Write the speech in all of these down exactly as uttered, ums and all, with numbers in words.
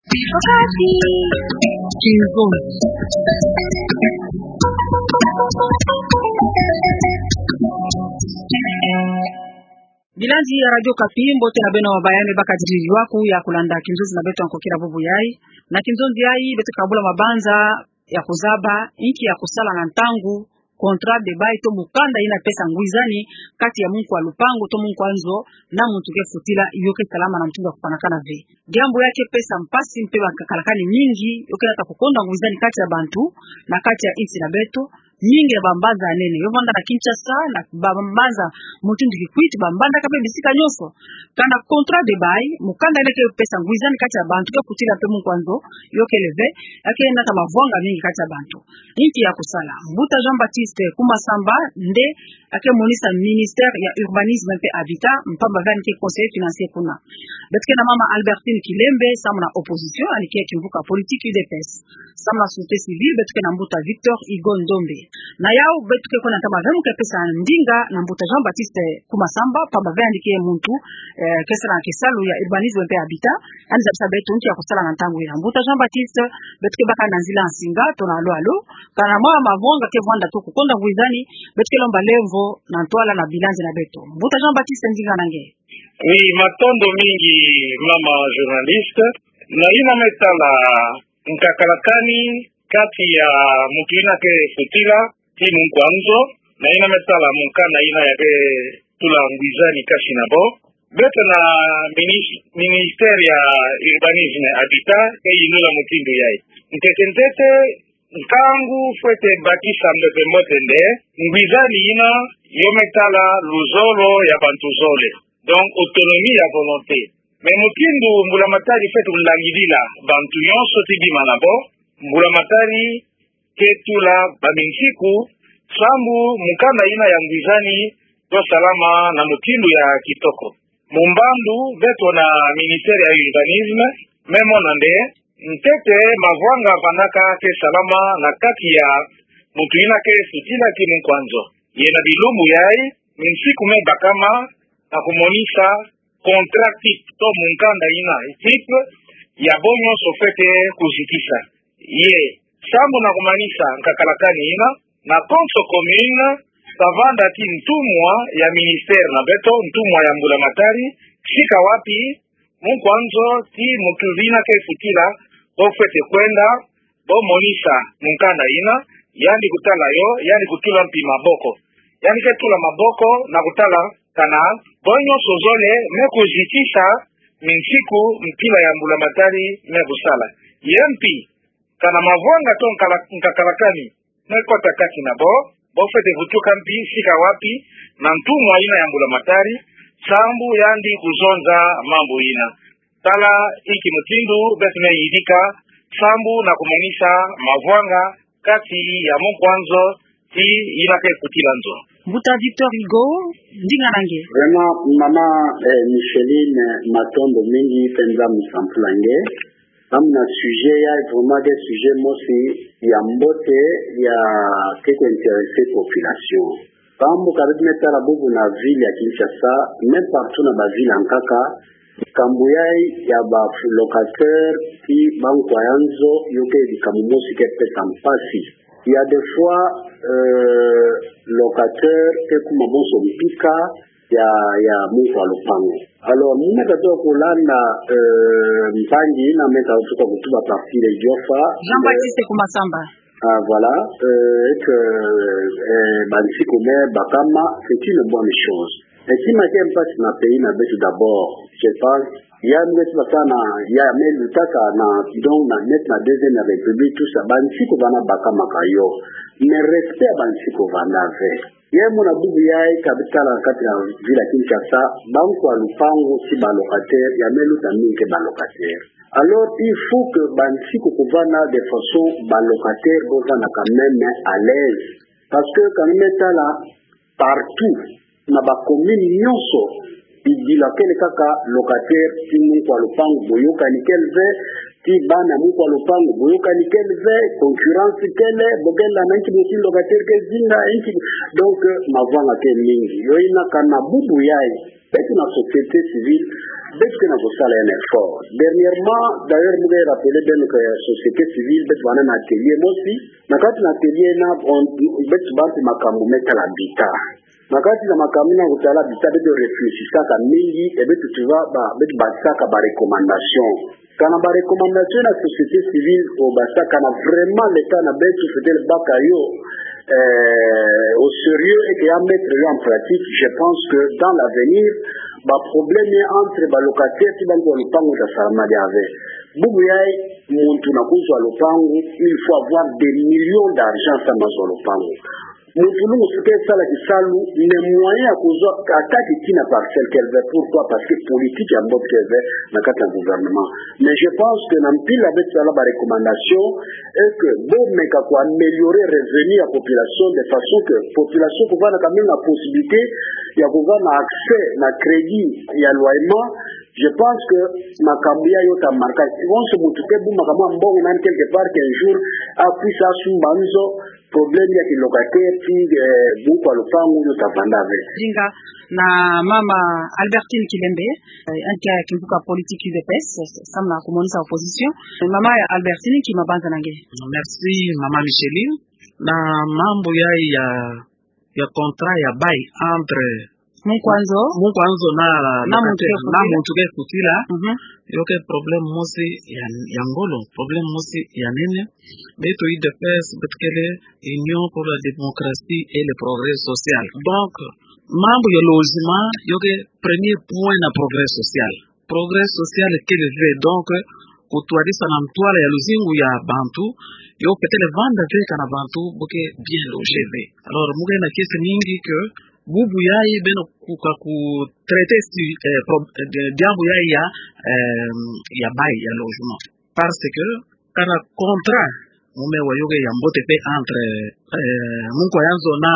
Wakati. Kinzonzi. Bilandi ya Radio Okapi, mbote na beno, bayame bakadidi ywaku ya kulanda kinzonzi na beto ya nkokila bubu yayi. Na kinzonzi yayi, beto ke kabula mabanza ya kuzaba inki ya kusala na ntangu contrat de bail to mukanda yina pesa ngwizani kati ya munkwa lupangu to munkwa nzo na muntu ke futila, yo ke salama na mutindu ya kupanakana ve. Diambu ya ke pesa mpasi mpe bankakalakani mingi, yo ke nata kukonda ngwizani kati ya bantu na kati ya insi na beto, mingi na bambanza ya nene. Yo vanda na Kinshasa, na bambanza mutindu Kikwit, bambanza kaka mpe bisika nyonso. Kana contrat de bail, mukanda yina ke pesa ngwizani kati ya bantu ke futila mpe munkwa nzo, yo kele ve, ya ke nata mavwanga mingi kati ya bantu. Inki ya kusala? Mbuta Jean-Baptiste Kumasamba nde ake monisa ministère ya urbanisme mpe habitat, mpamba ve yandi ke conseiller financier kuna. Beto ke na mama Albertine Kilembe, samu na opposition, yandi ke kimvuka politique U D P S. Samu na société civile, beto ke na mbuta Victor Hugo Ndombe. Na yau, beto ke kwenda ntama ve mu ke pesa ndinga na mbuta Jean-Baptiste Kumasamba, mpamba ve yandi ke muntu, eh, ke sala na kisalu ya urbanisme mpe habitat, yandi zabisa beto inki ya kusala na ntangu yina. Mbuta Jean-Baptiste, beto ke baka na nzila nsinga, tuna alo alo. Kana mwa mavwanga ke vwanda to kukonda ngwizani, beto ke lomba lemvo na ntwala na bilandi na beto. Mbuta Jean-Baptiste, ndinga na nge. Oui, matondo mingi, mama journaliste. Na yina me tala nkakalakani kati ya muntu yina ke futila ti munkwa nzo, na yina me tala mukanda yina ya ke tula ngwizani kati na bo. Beto na minis-, ministère ya urbanisme habitat ke yinula mutindu yayi. Ntete ntete, nkangu fwete bakisa mbepe mbote nde, ngwizani yina yo me tala luzolo ya bantu zole. Donc, autonomie ya volonté. Mais mutindu mbulamatari fwete kulangidila bantu nyonso ti bima na bo, mbulamatari ke tula baminsiku, sambu mukanda yina ya ngwizani to salama na mutindu ya kitoko. Mu mbandu, beto na ministère ya urbanisme me mona nde, ntete mavwanga vandaka ke salama na kati ya muntu yina ke futila ti munkwa nzo. Ye na bilumbu yayi, minsiku me bakama na kumonisa contrat type to mukanda yina type ya bo nyonso fwete kuzitisa. Ye, sambu na kumanisa nkakalakani yina, na konso commune, kavanda ti ntumwa ya ministère na beto, ntumwa ya mbulamatari, sika wapi munkwa nzo ti muntu yina ke futila, bo fwete kwenda, bo monisa mukanda yina, yandi kutala yo, yandi kutula mpi maboko. Yandi ke tula maboko na kutala kana bo nyonso zole me kuzitisa minsiku mpila ya mbulamatari me kusala. Ye mpi, kana mavwanga to nkala-, nkakalakani me kota kati na bo, bo fwete vutuka mpi sika wapi na ntumwa yina ya mbulamatari, sambu yandi kuzonza mambu yina. Tala inki mutindu beto me yidika, sambu na kumanisa mavwanga kati ya munkwa nzo ti yina ke futila nzo. Mbuta Victor Hugo, ndinga na nge. Vraiment, mama, eh, Micheline, matondo mingi, penza musampula nge. Samu na sujet yayi, vraiment ke sujet mosi ya mbote, ya ke ko intéresser population. Sambu ka beto me tala bubu na ville ya Kinshasa, même partout na ba ville ankaka, likambu yayi ya ba locataire ti bankwa ya nzo, yo ke likambu mosi ke pesa mpasi. Il y a des fois, euh, locataire ke kuma bonso mpika ya, ya munkwa lupangu. Alors, mu me tatoa kulanda, euh, mpangi yina me tatoa kutuba partir Idiofa. Jean-Baptiste Kumasamba. Ah, voilà, euh, et que, euh, bansiku me bakama, c'est une bonne chose. Mais tima ke mpasi na pays na beto d'abord, je pense, ya nge ti basana, ya me lutaka na, donc na net na deuxième république, tout ça, bansiku bana bakamaka yo. Mais respect ya bansiku vanda ve. Ye muna bubu yayi ka beto tala kati na ville ya Kinshasa, bankwa lupangu ti ba locataire, ya me luta mingi ke ba locataire. Alors, il faut que bansiku kuvanda de façon ba locataire bavanda quand même à l'aise. Parce que quand même tala partout, na ba commune nyonso, bidila kele kaka locataire ti munkwa lupangu, boyokani kele ve, ti bana munkwa lupangu, boyokani kele ve, concurrence kele, bo kele na inki mutindu locataire ke zinga, inki, donc, euh, mavwanga ke mingi. Yo yina kana bubu yayi, beto na société civile, Beto ke na kosala un effort. Dernièrement, d'ailleurs, mu ke rappeler beno que société civile, beto bana na atelier mosi. Na kati na atelier na, on, beto bâ na makambu me tala habitat. Na kati na makambu me tala habitat, beto réfléchissaka mingi, et beto, tu vois, ba, beto basaka ba recommandation. Kana ba recommandation na société civile obasaka, kana vraiment l'État na beto fwete baka yo, euh, au sérieux et que ya mettre yo en pratique, je pense que dans l'avenir, ba problème entre ba locataire ti bantu ya lupangu ta sala madiave. Bubu yayi, muntu na kuzwa lupangu, il faut avoir des millions d'argent samu azwa lupangu. Muntu lungu si ke sala kisalu, na moyen ya kuzwa ata ti na parcelle qu'elle veut. Pourquoi? Parce que politique ya mbote qu'elle veut na kati na gouvernement. Mais je pense que na mpila beto sala ba recommandation, et que bo meka ko améliorer revenu ya population de façon que population kuvanda quand même na possibilité ya kuvanda na accès na crédit ya loyement. Je pense que makambu yayi yo ta marquer. Bon, ce muntu ke bu makambu mbongo nani quelque part qu'un jour, a puisse asumba nzo, problème ya ki locataire ti, eh, bungu kwa lupangu yo ta vanda ve. Dinga na mama Albertine Kilembe, eh, ntia ya kimvuka politique U D P S, samu na kumonisa opposition. Mama Albertine, nki mabanza na nge? Merci, mama Micheline. Na mambu yayi ya, ya contrat ya bail entre Munkwa nzo. Munkwa nzo na, na muntu ke futi. Na muntu ke futila. Mhm. Yo ke problème mosi ya, ya ngolo, problème mosi ya nene. Beto U D P S, beto kele Union pour la démocratie et le progrès social. Donc, mambu ya logement, yo ke premier point na progrès social. Progrès social kele ve, donc, kutwadisa na ntwala ya luzingu ya bantu, yo fwete vanda ve kana bantu bo ke bien logé ve. Alors, mu ke na kiese mingi que bubu yayi beno kuka ku traiter si, eh, pro-, eh, diambu yayi ya, eh, ya bail ya logement. Parce que kana contrat mu me wa yo ke ya mbote ve entre, eh, munkwa ya nzo na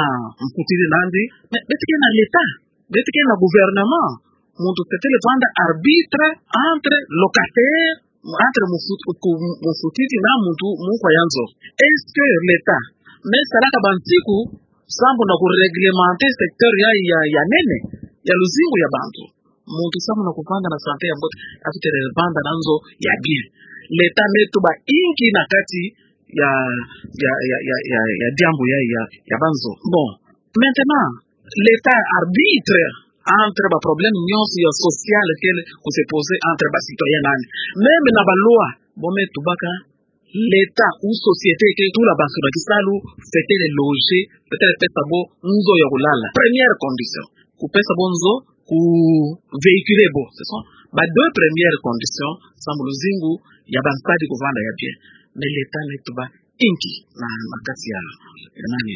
mfutidi nandi, mais beto ke na l'État, beto ke na gouvernement. Muntu fwete vanda arbitre entre locataire, entre mufut-, ku-, mufutidi na muntu munkwa ya nzo. Est-ce que l'État me salaka bansiku sambu na ku réglementer secteur ya, ya, ya nene ya luzingu ya bantu? Muntu samu na kuvanda na santé ya mbote, a fwete vanda na nzo ya bien. L'État me tuba inki na kati ya, ya, ya diambu ya, ya, ya banzo? Bon, maintenant, l'État arbitre entre ba problème nyonso ya social kele ku se poser entre ba citoyen nani. Même na ba loi, bo me tubaka l'État ou société ke tula bantu na kisalu, fwete les loger, fwete pesa bo nzo ya kulala. Première condition. Kupesa bo nzo, ku véhiculer bo. Ce sont ba deux premières conditions, sambu luzingu ya bansadi kuvanda ya bien. Mais l'État me tuba inki na, na kati ya, ya nani.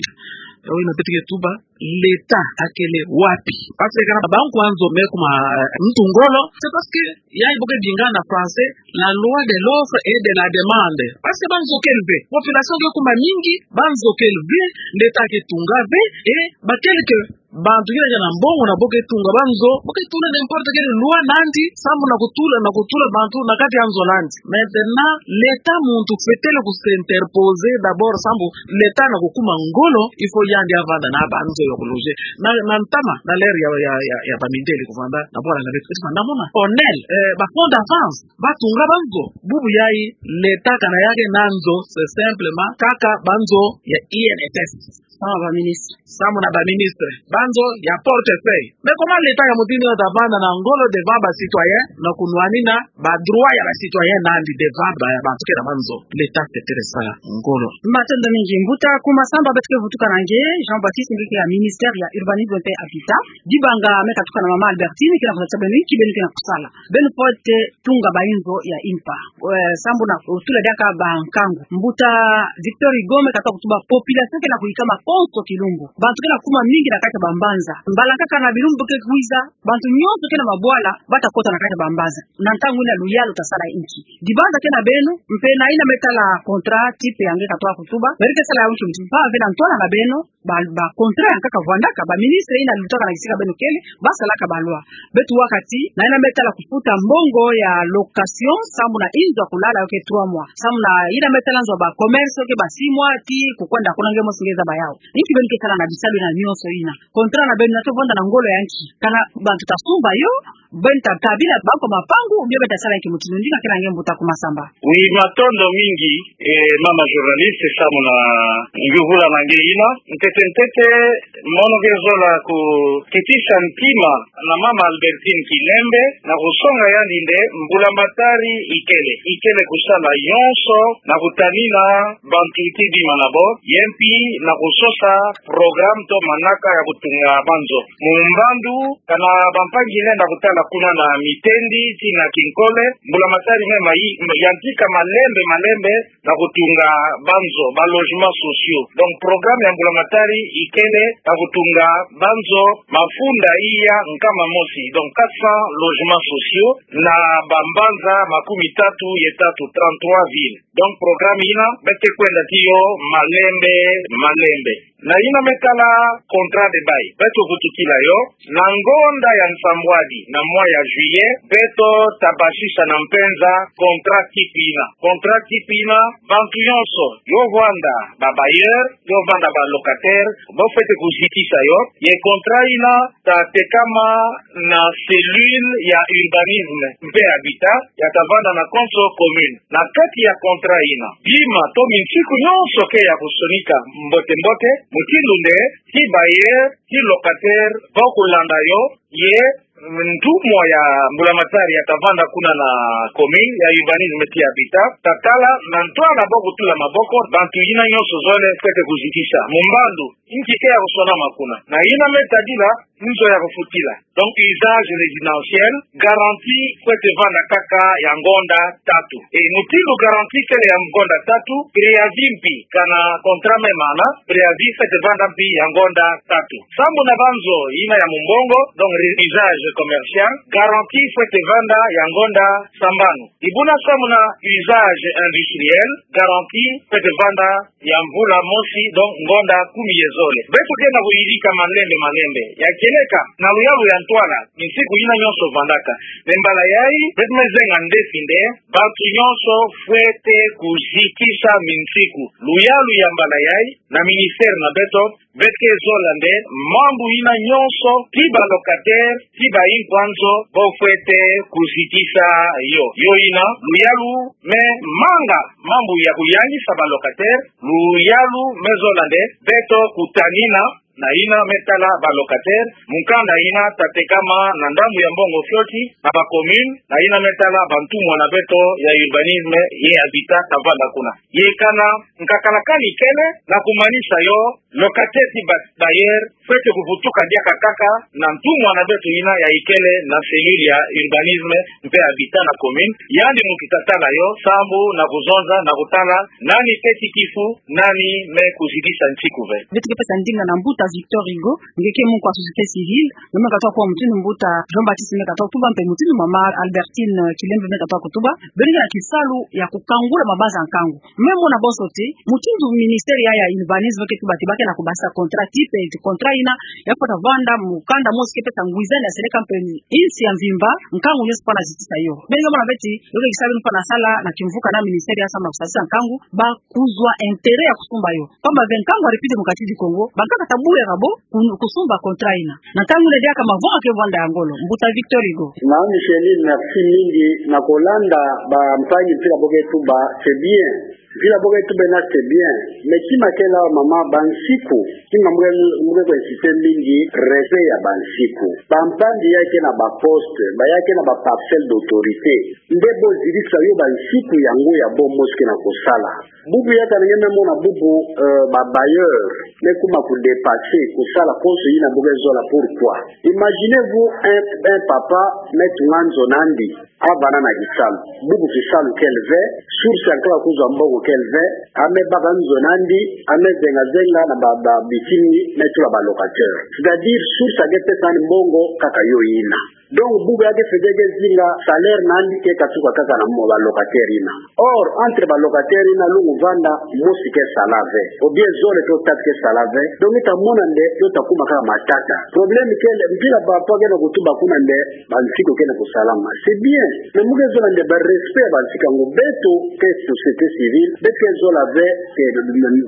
Yo ina beto ke tuba, l'État akele wapi? Parce que kana ba munkwa nzo me kuma, eh, muntu ngolo, c'est parce que yayi bo ke dinga na français, la loi de l'offre et de la demande. Parce que banzo kele ve. Population ke kuma mingi, banzo kele ve, l'État ke tunga ve, et ba quelques bantu kina ya na mbongo na bo ke tunga banzo, bo ke tula n'importe quelle loi nandi, sambu na kutula, na kutula bantu na kati ya nzo nandi. Maintenant, l'État muntu fwete ku s'interposer d'abord, sambu l'État na kukuma ngolo, il faut yandi avanda na banzo ya ku loger. Na, na ntama, na l'heure ya, ya, ya, ya bamindele kuvanda, na bwala na beto, beto vanda mona. Onel, eh, ba fonds d'avance, ba tunga banzo. Bubu yayi, l'État kana ya ke na nzo, c'est simplement kaka banzo ya I N S S. Samu na ba ministre. Samu na ba ministre. Banzo ya portefeuille. Mais comment l'État ya mutindu ta vanda na ngolo devant ba citoyen, na kunwanina ba droit ya ba citoyen nandi devant ba, bantu ke na banzo? L'État fwete sala ngolo. Matondo mingi mbuta. Kuma samba beto ke vutuka na nge, Jean-Baptiste, nge ke ya ministère ya urbanisme pe habitat. Dibanga me katuka na mama Albertine, ke na kuzatisa beno inki beno ke na kusala. Beno fwete tunga ba inzo ya impa. Eh, sambu na kutula diaka ba nkangu. Mbuta Victor Hugo me kata kutuba population ke na kuyikama konso kilumbu. Bantu ke na kuma mingi na kati ya ba mbanza. Mbala kaka na bilumbu ke kwiza, bantu nyonso ke na mabwala, ba ta kota na kati ya ba mbanza. Na ntangu yina luyalu ta sala inki? Dibanza ke na beno, mpe na yina me tala contrat type ya nge katoka kutuba, meri ke sala ya nki, mpa ve na ntwala na beno, ba, ba contrat ya nkaka vwandaka, ba ministre yina lutaka na kisika beno kele, ba salaka ba loi. Beto wakati, na yina me tala kufuta mbongo ya location, sambu na inzo ya kulala yo ke trois mois. Sambu na yina me tala nzo ya ba commerce yo ke ba six mois, ti kukwenda kuna nge mosi nge zaba yawu. Inki beno ke sala na bisalu na nyonso ina? Contrat na beno ina to vanda na ngolo ya nki? Kana bantu ta sumba yo, beno ta tabila banco mapangu, ou bien beno ta sala nki? Mutindu ndi nga kena nge mbuta Kuma Samba. Oui, matondo mingi, eh, mama journaliste, samu na yuvula na nge ina. Ntete ntete, mono ke zola kukitisa ntima na mama Albertine Kilembe, na kusonga yandi nde mbulamatari ikele, ikele kusala yonso na kutanina bantu ti bima na bo, ye mpi na kusosa programme to manaka ya kutunga banzo. Mu mbandu, kana bampangi nge na kutala kuna na mitendi ti na kinkole, mbulamatari me mai-, yantika malembe, malembe, na kutunga banzo, ba logements sociaux. Donc, programme ya mbulamatari ikele na kutunga banzo mafunda iya nkama mosi. Donc, quatre cents logements sociaux na bambanza makumi tatu ye tatu, trente-trois villes. Donc, programme ina, beto ke kwenda ti yo malembe, malembe. Na ina me tala contrat de bail, beto vutukila yo, na ngonda ya nsambwadi na mois ya juillet, beto ta basisa na mpenza contrat type ina. Contrat type ina, bantu yonso yo vanda ba bailleurs, yo vanda ba locataires, bo fwete kuzitisa yo, ye contrat ina ta tekama na cellule ya urbanisme mpe habitat, ya ta vanda na konso commune. Na kati ya contrat ina, bima to minsiku yonso ke ya kusonika mbote mbote, mutindu nde ti bailleur, ti locataire, bo kulanda yo, ye ntumwa ya mbulamatari ya ta vanda kuna na commune, ya urbanisme ti habitat, ta tala na ntwala bo kutula maboko, bantu ina yonso zole fwete kuzitisa. Mu mbandu, inki ke ya kusonama kuna? Na ina me tadila nzo ya kufutila. Donc, usage résidentiel, garantie fwete vanda kaka ya ngonda tatu. E mutindu garantie kele ya ngonda tatu, préavis mpi, kana contrat me mana, préavis fwete vanda mpi ya ngonda tatu. Sambu na banzo ina ya mumbongo, donc usage commercial, garantie fwete vanda ya ngonda sambanu. Ibuna sambu na usage industriel, garantie fwete vanda ya mvula mosi, donc ngonda kumi ye zole. Beto ke na kuyidika malembe malembe. Ya kieleka, na luyalu ya ntwala, minsiku ina yonso vandaka. Me mbala yai, beto me zenga ndefi nde, bantu yonso fwete kuzitisa minsiku. Luyalu ya mbala yai, na ministère na beto, beto ke zola nde mambu ina yonso, ti ba locataire, ti ba inkwanzo, bo fwete kuzitisa yo. Yo ina, luyalu me manga mambu ya kuyangisa ba locataire, luyalu me zola nde beto kutanina na ina me tala ba locataire, mu nkanda ina ta tekama na ndambu ya mbongo fioti, na ba commune, na ina me tala ba ntumwa na beto ya urbanisme ye habitat ta vanda kuna. Ye kana nkakala kani kele, na kumanisa yo, locataire ti ba-, bailleur, fwete kuvutuka diaka kaka na ntumwa na beto ina ya ikele na cellule ya urbanisme mpe habitat na commune, yandi muntu ta tala yo, sambu na kuzonza, na kutala nani teti kifu, nani me kuzitisa nsiku ve. Beto ke pesa ndinga na mbuta Victor Hugo, nge ke munkwa société civile, nge me katuka kuwa mutindu mbuta Jean-Baptiste me katuka kutuba mpe mutindu mama Albertine Kilembe me katuka kutuba, beno ke na kisalu ya kukangula mabanza nkangu. Me mona bonso ti, mutindu ministère ya, ya urbanisme ke tuba ti ba ke na kubasisa contrat type, ti contrat ina, ya fwete vanda mukanda mosi ke pesa ngwizani ya seleka mpe ni insi ya mvimba, nkangu nyonso fwana zitisa yo. Beno ke mona ve ti, yo ke kisalu fwana sala na kimvuka na ministère ya samba kusasisa nkangu, ba kuzwa intérêt ya kusumba yo. Pamba ve nkangu aripide mu kati di Kongo, bankaka ta bula kabo, ku-, kusumba contrat ina. Na ntangu ina diaka mavanga ke vwanda ya ngolo. Mbuta Victor Hugo. Na Micheline, merci mingi. Na kolanda bampangi mpila bo ke tuba, c'est bien. Mpila bo ke tuba na c'est bien. Mais kima ke la mama, bansiku. Kima mbuke, mbuke ko insister mingi, respect ya bansiku. Bampangi ya ke na ba poste, ba ya ke na ba parcelle d'autorité. Nde bo zitisa yo bansiku yango ya bo mosi ke na kusala. Bubu ya kana nge me mona bubu, euh, ba bailleur me kuma ku dépasser kusala konso ina bo ke zola. Pourquoi? Imaginez-vous un, un papa me tunga nzo na yandi, avana na kisalu. Bubu kisalu kele ve, source ya nkaka kuzwa mbongo kele ve, ame baka nzo na yandi, ame zenga zenga na ba, ba bitini me tula ba locataire. C'est-à-dire source ya ke pesa yandi mbongo kaka yo ina. Donc bubu ya ke fete ke zinga, salaire na yandi ke katuka kaka na mo ba locataire yina. Or, entre ba locataire yina, lungu vanda, mosi ke sala ve, ou bien zole to tatu ke sala ve. Donc ita mona nde yo ta kuma kaka matata. Problème kele, mpila papa kele kutuba kuna nde ba nsiku kele kusalama. C'est bien. Mais mu ke zola nde ba respect ya ba nsiku yango. Beto ke société civile, beto ke zola ve que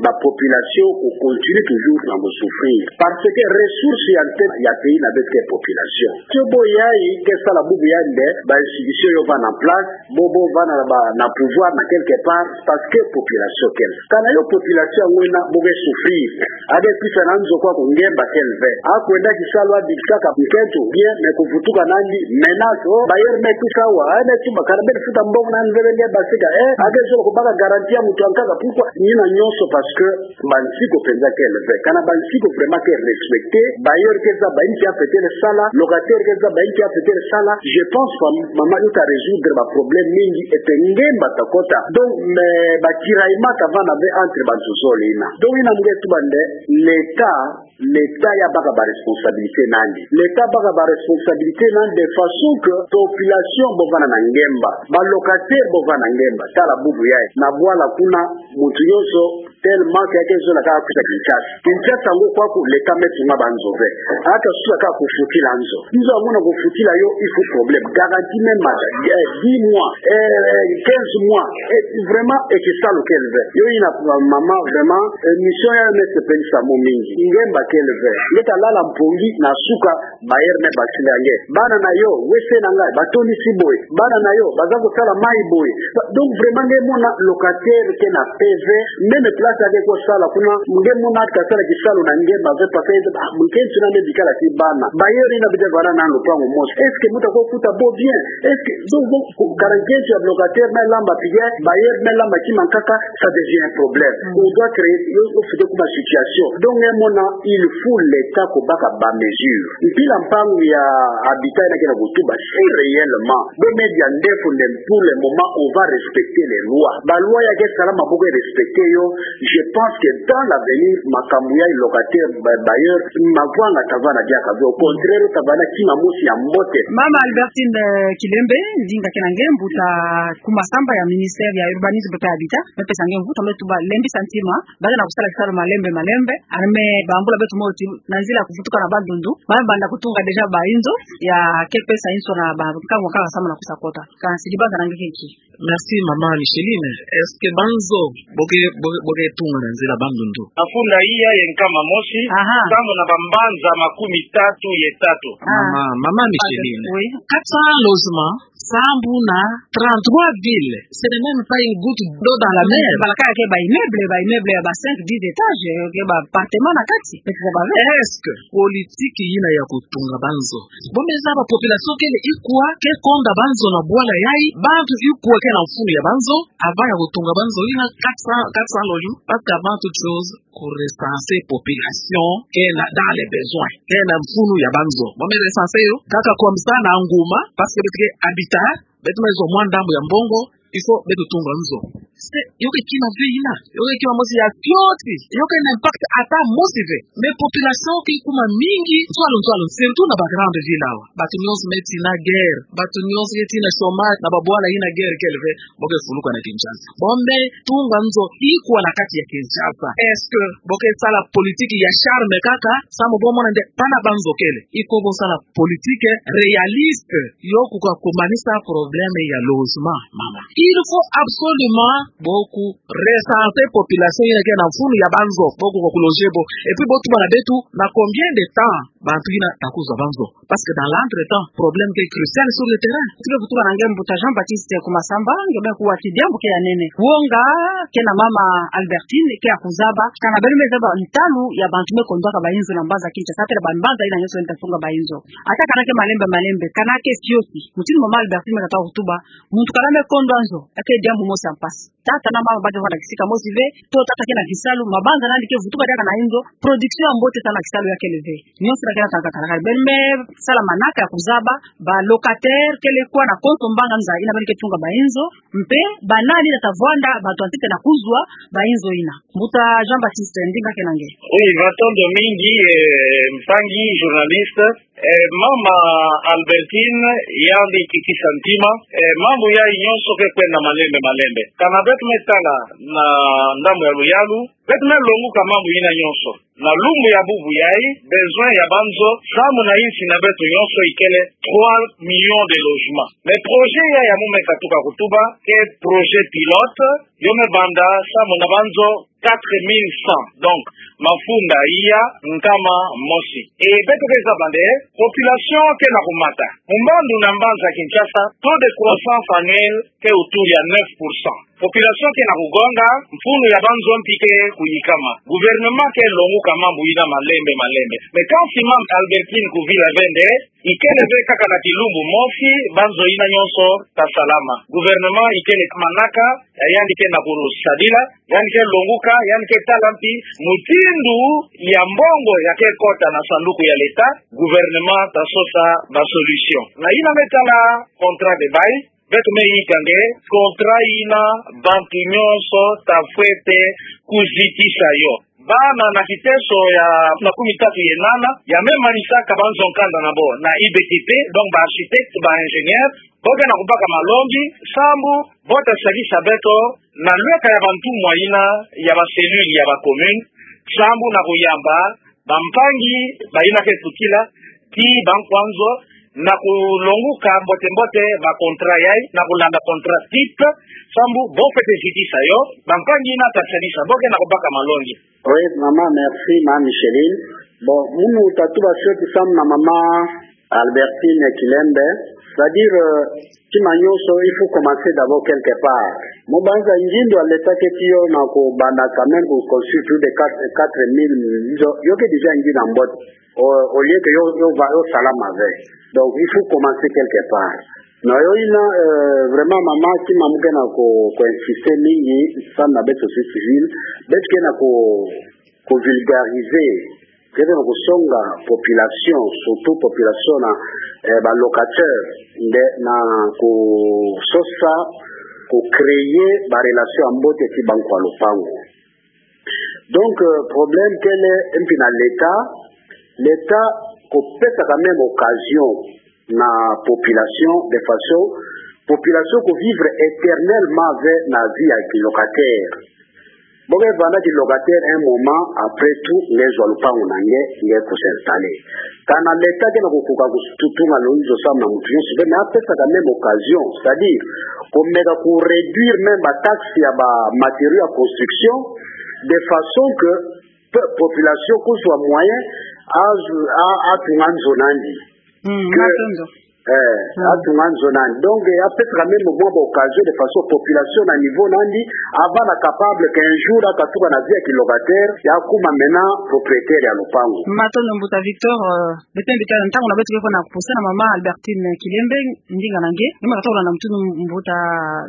ba population ko continuer toujours na ko souffrir. Parce que ressource ya ntete ya pays na beto ke population. Tio bo yayi ke sala bubu yandi, ba institution yo vanda en place, bo, bo vanda na ba, na pouvoir na quelque part, parce que population kele. Kana yo population yango yina bo ke souffrir. A ke kwisa na nzo kwaku, ngemba kele ve. A kwenda kisalu, a bikisa kaka nkento, bien, mais kuvutuka na yandi, menace, oh, bailleur me kwisa awa, eh, me tuba, kana beno futa mbongo na yandi ve, nge basika, eh, a ke zola kubaka garantie ya muntu ankaka, pourquoi? Yina nyonso parce que ba nsiku penza kele ve. Kana ba nsiku vraiment ke respecter, bailleur ke zaba inki a fete le sala, locataire ke zaba inki a fete le sala, je pense que mama, yo ta résoudre ba problème mingi, et puis ngemba ta kota. Donc, mais ba tiraillement ta vanda ve entre bantu zole yina. Donc yina mu ke tuba nde, l'État, l'État ya baka ba responsabilité na yandi. L'État baka ba responsabilité na yandi de façon que population bo vanda na ngemba, ba locataire bo vanda na ngemba. Tala bubu yayi, na bwala kuna, muntu nyonso tellement que a ke zola kaka kwisa Kinshasa. Kinshasa yango kwaku, l'État me tunga ba nzo ve. A ta suka kaka kufutila nzo. Nzo yango na kufutila yo, il faut problème. Garantie même mata, eh, dix mois, eh, quinze mois. Eh, vraiment, eh, kisalu kele ve. Yo yina, mama, vraiment, eh, mission ya me sepelisa mo mingi. Ngemba kele ve. Nge ta lala mpongi na suka, bailleur me basila nge. Bana na yo, wese na ngai, batondisi boye. Bana na yo, baza kosala mai boye. Ba-, donc vraiment nge mona locataire ke na P V, même place a ke kosala kuna, nge mona a ta sala kisalu na nge mabe, parce que, ah, nkento na me bikala ti bana. Bailleur yina bete vanda na lopango mosi. Est-ce que muntu ako kuta bo bien? Est-ce que, donc, donc, ku-, kana nkento ya locataire me lamba pige, bailleur me lamba kima nkaka, ça devient un problème. Mm. On doit créer, yo, yo fete kuma situation. Donc, nge mona, il faut l'État kubaka ba mesure. Mpila mpangu ya habitat yina ke na kutuba, si réellement bo me dia ndefu nde, pour le moment, on va respecter les lois. Ba loi ya ke salama bo ke respecter yo. Je pense que dans l'avenir, makambu ya locataire, ba-, bailleur, mavwanga ta vanda diaka ve. Au contraire, ta vanda kima mosi ya mbote. Mama Albertine, eh, Kilembe, ndinga ke na nge, mbuta ku masamba ya ministère ya urbanisme pe habitat, me pesa nge mvutu, me tuba, lembisa ntima, bala na kusala kisalu malembe, malembe, arme bambula beto moti, na nzila kuvutuka na Bandundu, ba banda kutunga déjà ba inzo, ya ke pesa inzo na ba nkangu kaka sama na kusa kota. Kansi dibanza na nge ke nki? Merci, Mama Micheline. Est-ce que ba nzo bo ke, bo ke, bo ke tunga na nzila Bandundu? Mafunda iya ye nkama mosi, aha, sambu na bambanza makumi tatu ye tatu. Ah. Mama, Mama Micheline. Oui. Quatre cents logements, sambu na trente-trois villes. Ce n'est même pas une goutte d'eau dans la mer. Bala kaka ke ba immeuble, ba immeuble ya ba cinq, dix étages, ke ba appartement na kati. Est-ce que politique yina ya kutunga ba nzo, bo me zaba population kele ikwa ke konda ba nzo na bwala yayi, bantu ikwa ke na mfunu ya ba nzo, avant ya kutunga ba nzo yina quatre cents, quatre cents logements, parce qu'avant toute chose, ku recenser population ke na dans les besoins, ke na mfunu ya ba nzo. Bo me recenser yo, kaka comme ça na nguma, parce que beto ke habitat, beto me zwa mwa ndambu ya mbongo, il faut beto tunga nzo. C'est, yo ke kima ve yina. Yo ke kima mosi ya kioti. Yo ke na impact ata mosi ve. Mais population ke kuma mingi, nzwalu, nzwalu, surtout na ba grande ville awa. Bantu nyonso me tina guerre. Bantu nyonso ke tina chômage, na ba bwala yina guerre kele ve, bo ke fuluka na Kinshasa. Bo me tunga nzo ikwa na kati ya Kinshasa? Est-ce que bo ke sala politique ya charme kaka, sambu bo mona nde pana ba nzo kele? Il faut bo sala politique réaliste, yo kuka kumanisa problème ya logement, mama. Il faut absolument bo ku recenser population yina ke na mfunu ya ba nzo, bo kuka ku loger bo. Et puis bo tuba na beto, na combien de temps bantu yina ta kuzwa ba nzo? Parce que dans l'entretemps, problème ke crucial sur le terrain. Ti ke kutuka na nge mbuta Jean-Baptiste ku masamba, nge me kuwa ti diambu ke ya nene. Wonga ke na mama Albertine, ke ya kuzaba, kana beno me zaba ntalu ya bantu me kondwaka ba inzo na mbanza Kinshasa, tele ba mbanza yina nyonso ta tunga ba inzo. Ata kana ke malembe malembe, kana ke kioti. Mutini mama Albertine me kata kutuba, muntu kana me kondwa nzo, ake diambu mosi ya mpasi. Tata na mama ba ke vanda kisika mosi ve, to tata ke na kisalu, mabanza na yandi ke vutuka diaka na inzo, production ya mbote ta na kisalu ya kele ve. Nyonso na kena tata kala kala. Beno me sala manaka ya kuzaba, ba locataire kele kwa na konso mbanza yina beno ke tunga ba inzo, mpe ba nani ta vwanda, bantu ya ntete na kuzwa ba inzo yina. Mbuta Jean-Baptiste, ndinga ke na nge. Oui, matondo mingi, eh, mpangi journaliste. Eh, mama Albertine, yandi kikisa ntima, eh, mambu yayi nyonso ke kwenda malembe malembe. Kana beto me tala na ndambu ya luyalu, beto me longuka mambu yina nyonso. Na lumbu ya bubu yayi, besoin ya banzo, samu na insi na beto nyonso ikele trois millions de logements. Mais projet yayi ya mu me katuka kutuba, ke projet pilote, yo me banda samu na banzo quatre mille cent. Donc, mafunda iya nkama mosi. E beto ke zaba nde, population ke na kumata. Mbandu na mbanza Kinshasa, taux de croissance annuelle ke autour ya neuf pour cent. Population ke na kugonga, mfunu ya banzo mpi ke kuyikama. Gouvernement ke longuka mambu yina malembe malembe. Mais quand si mama Albertine Kouvila ve nde, ikele ve kaka na kilumbu mosi, banzo yina nyonso ta salama. Gouvernement ikele manaka, ya yandi ke na kusadila, yandi ke longuka, yandi ke tala mpi mutindu ya mbongo ya ke kota na sanduku ya l'État, gouvernement ta sosa ba solution. Na yina me tala contrat de bail, beto me yika nde contrat yina bantu nyonso ta fwete kuzitisa yo. Bana na kiteso ya makumi tatu ye nana, ya me manisaka banzo nkanda na bo na I B T P, donc ba architecte, ba ingénieur, bo ke na kubaka malongi, sambu bo ta sadisa beto na lweka ya bantumwa yina ya ba cellule ya ba commune, sambu na kuyamba bampangi bayina ke kutila, ti bankwa nzo, na kulonguka mbote mbote ba contrat yayi, na kulanda contrat type, sambu bo fwete zitisa yo, bampangi yina ta sadisa, bo ke na kubaka malongi. Oui, mama, merci, mama Micheline. Bon, munu ta tuba fioti samu na mama Albertine Kilembe, c'est-à-dire, euh, tima nyonso, il faut commencer d'abord quelque part. Mu banza ngindu ya l'État ke tiyo na kubanda quand même ku construire plus de quatre, quatre mille maisons, yo ke déjà ngindu ya mbote. Au, au lieu que yo, yo va, yo salama ve. Donc, il faut commencer quelque part. Na yo yina, euh, vraiment, mama, tima mu ke na ku, ku insister mingi, samu na beto société civile, beto ke na ku, ku vulgariser, ke na kusonga population, surtout population na, eh, ba locataires, nde na kusosa, ku créer ba relation ya mbote ti bankwa lupangu. Donc, euh, problème kele mpi na l'État, l'État kupesa quand même occasion na population, de façon population ku vivre éternellement ve na vie ya kilocataire. Bo ke vanda kilocataire un moment, après tout, nge zwa lupangu na nge, nge ku s'installer. Kana l'État ke na kukuka kutunga lonzo samu na muntu nyonso, mais apesa quand même occasion, c'est-à-dire, kumeka ku réduire même ba taxe ya ba matériaux ya construction, de façon que pe-, population kuzwa moyen, azu-, a-, atunga nzo na yandi. Mm, que, matondo. Eh, mm, atunga nzo na yandi. Donc, eh, apesa quand même mwa ba occasion de façon population na niveau na yandi, avanda capable qu'un jour akatuka na vie ya kilocataire, ya kuma maintenant propriétaire ya lupangu. Matondo mbuta Victor, euh, beto mbi tala ntangu na beto ke fo na kupusana, mama Albertine Kilembe, ndinga na nge, nge me katola na mutindu mbuta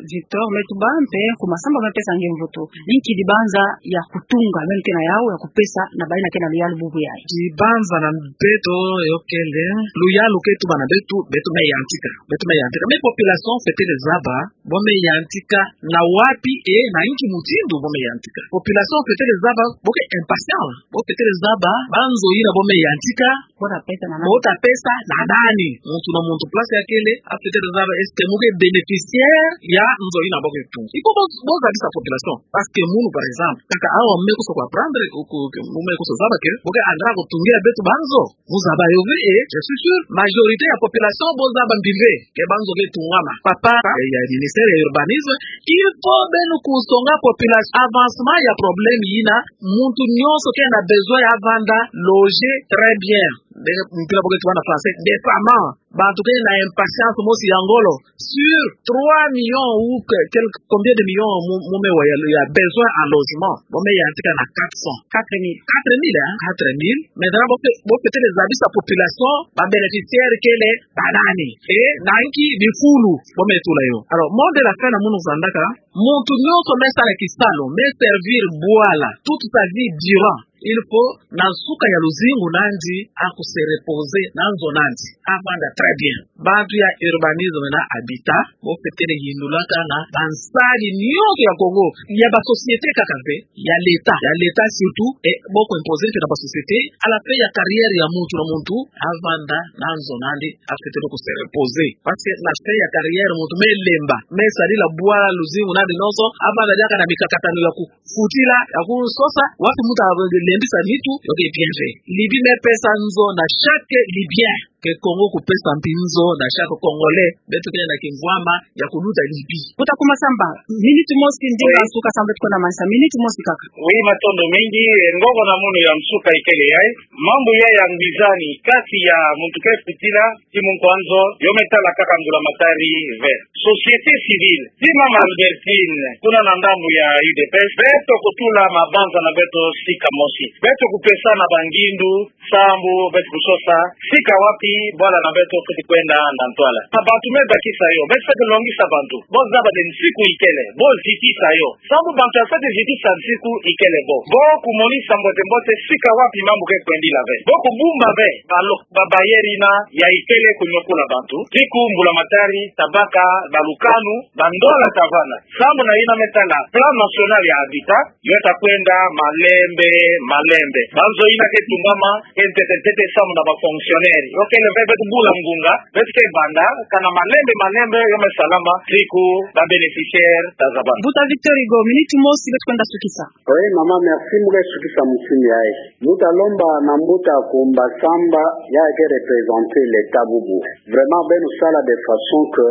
Victor me tuba, mpe kuma sambu me pesa nge mvutu. Inki dibanza ya kutunga, meno ke na yau ya kupesa na bayina ke na luyalu bubu yayi? Dibanza na beto yo kele, luyalu ke tuba na beto, beto me yantika. Beto me yantika. Mais population fwete zaba, bo me yantika na wapi, eh, na inki mutindu bo me yantika. Population fwete zaba, bo ke impatient. Bo fwete zaba, banzo yina bo me yantika, bo ta pesa na nani? Bo ta pesa na nani? Muntu na muntu place ya kele, afwete zaba, est-ce que mu ke bénéficiaire ya nzo yina bo ke tunga? Il faut bo, bo zabisa population. Parce que munu, par exemple, kaka awa mu me kusa ku apprendre, ou ku, ku, mu me kusa zaba que, bo ke andra kutungia beto banzo. Mu zaba yo ve, eh, je suis sûr, majorité ya population bo zaba mbi ve, que banzo ke tungama. Papa, eh, ya ministère ya urbanisme, il faut beno kusonga population, avancement ya problème yina, muntu nyonso ke na besoin ya vanda logé très bien. Nde, mpila bo ke tuba na français, décemment. Bantu ke na impatience mosi ya ngolo. Sur trois millions ou que, quel, combien de millions mu, mu me wa ya, ya besoin en logement. Bo me yantika na quatre cents. Quatre mille. Quatre mille, hein? Quatre mille. Maintenant, bo fwete, bo fwete zabisa population, ba bénéficiaires kele ba nani. Eh, na inki bifulu bo me tula yo. Alors, mot de la fin na munu vandaka, muntu nyonso me sala kisalu, me servir bwala, toute sa vie durant. Il faut na nsuka ya luzingu nandi, aku se reposer na nzo nandi, avanda très bien. Bantu ya urbanisme na habitat, bo fwete kele yindulaka na bansari nyonso ya Congo, ya ba société kaka ve, ya l'État, ya l'État surtout, e bo ku imposer mpe na ba société, à la fin ya carrière ya muntu na muntu, avanda na nzo nandi, afwete ku se reposer. Parce que na fin ya carrière muntu me lemba, me sarila bwa luzingu nandi nyonso, avanda diaka na mikakatano ya ku futila, ya kusosa, wapi muntu alendisa nitu, yo ke bien fait. Libye me pesa nzo na chaque Libyen. Ke Congo kupesa mpi nzo na chaque Congolais. Beto ke na kingwama ya kuluta Libye. Mbuta Kumasamba, minute mosi ndinga nsuka, samu beto kwenda manisa. Minute mosi kaka. Oui, matondo mingi, eh, ngoko na munu ya nsuka ikele yayi. Mambu ya ya ngwizani kati ya muntu ke futila, ti munkwa nzo, yo me tala kaka mbulamatari ve. Société civile, ti mama Albertine, kuna na ndambu ya U D P S, beto kutula mabanza na beto sika mosi. Beto kupesana bangindu, samu beto kusosa sika wapi bwala na beto fwete kwenda na ntwala. Na bantu me bakisa yo, beto fwete longisa bantu. Bo zaba de nsiku ikele, bo zitisa yo. Samu bantu ya fwete zitisa nsiku ikele bo. Bo kumonisa mbote mbote sika wapi mambu ke kwendila ve. Bo kubumba ve, ba lo-, ba bailleur yina ya ikele kunyokula bantu. Ti ku mbulamatari ta baka balukanu, bandola ta vanda. Samu na yina me tala plan national ya habitat, yo ta kwenda malembe, malembe. Banzo yina ke tumbama, ke ntete ntete samu na ba fonctionnaire. Yo kele ve beto bula ngunga, beto ke banda, kana malembe, malembe, yo me salama, ti ku ba bénéficiaire ta zabana. Mbuta Victor Hugo, minute mosi, beto kwenda sukisa. Oui, mama, merci, mu ke sukisa mutindu yayi. Mbuta lomba na mbuta Kumasamba, ya ke représenter l'État bubu. Vraiment, beno sala de façon que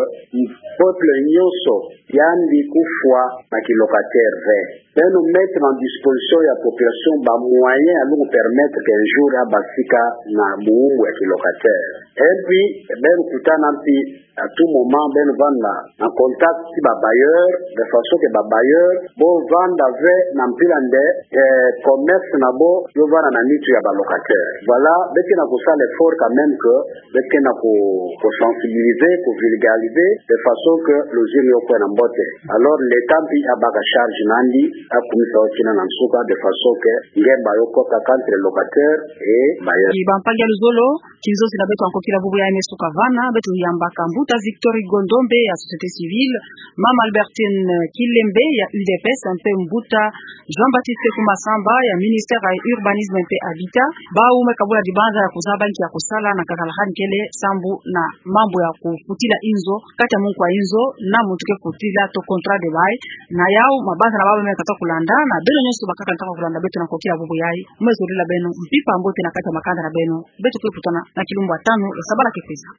peuple nyonso, yandi kufwa na kilocataire ve. Beno mettre en disposition ya population ba moyens ya lungu permettre que un jour abasika na bumbu ya kilocataire. Et puis, beno kutana mpi à tout moment, beno vanda na contact ti ba bailleur, de façon que ba bailleur, bo vanda ve na mpila nde, eh, commerce na bo, yo vanda na nitu ya ba locataire. Voilà, beto ke na kusala effort quand même que beto ke na ku, ku sensibiliser, ku vulgariser, de façon que luzingu yo kwenda mbote. Alors, l'État mpi abaka charge nandi, akumisa yo kina na nsuka, de façon que ngemba yo kota entre locataire et bailleur. Ki bampangi ya luzolo, kinzozi na beto ya nkokila bubu yayi me suka vana, beto yambaka mbuta Victor Hugo Ndombe ya société civile, mama Albertine Kilembe ya U D P S, mpe mbuta Jean-Baptiste Kumasamba ya ministère ya urbanisme mpe habitat, bawu me kabula dibanza ya kuzaba nki ya kusala na kakala hani kele sambu na mambu ya kufutila inzo, kati ya munkwa inzo na muntu ke futila to contrat de bail, na yawu mabanza na bawu me kata kulanda, na beno nyonso bakaka nata kulanda beto na nkokila bubu yayi, mu me zolila beno mpimpa mbote na kati ya makanda na beno, beto ke kutana na kilumbu ya tanu ya sabala ke kwiza.